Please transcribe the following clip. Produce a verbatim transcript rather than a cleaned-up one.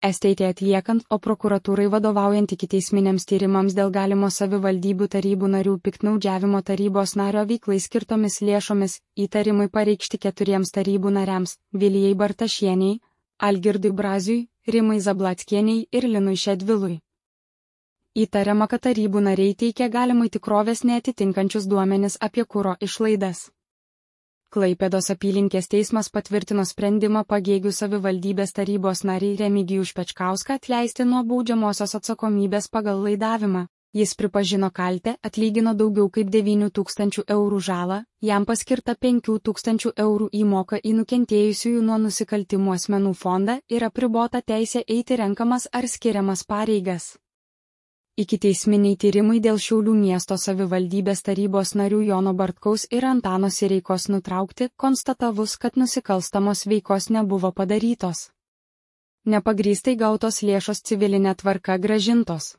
S T T atliekant, o prokuratūrai vadovaujant ikiteisminiams tyrimams dėl galimo savivaldybių tarybų narių piktnaudžiavimo tarybos nario veiklai skirtomis lėšomis, įtarimai pareikšti keturiems tarybų nariams – Vilijai Bartašieniai, Algirdui Braziui, Rimai Zablackienei ir Linui Šedvilui. Įtariama, kad tarybų nariai teikė galimai tikrovės neatitinkančius duomenis apie kuro išlaidas. Klaipėdos apylinkės teismas patvirtino sprendimą Pagėgių savivaldybės tarybos narį Remigijų Špečkauską atleisti nuo baudžiamosios atsakomybės pagal laidavimą. Jis pripažino kaltę, atlygino daugiau kaip devynių tūkstančių eurų žalą, jam paskirta penkių tūkstančių eurų įmoka į nukentėjusiųjų nuo nusikaltimų asmenų fondą ir apribota teisė eiti renkamas ar skiriamas pareigas. Ikiteisminiai tyrimai dėl Šiaulių miesto savivaldybės tarybos narių Jono Bartkaus ir Antano Sireikos nutraukti, konstatavus, kad nusikalstamos veikos nebuvo padarytos. Nepagrįstai gautos lėšos civilinė tvarka grąžintos.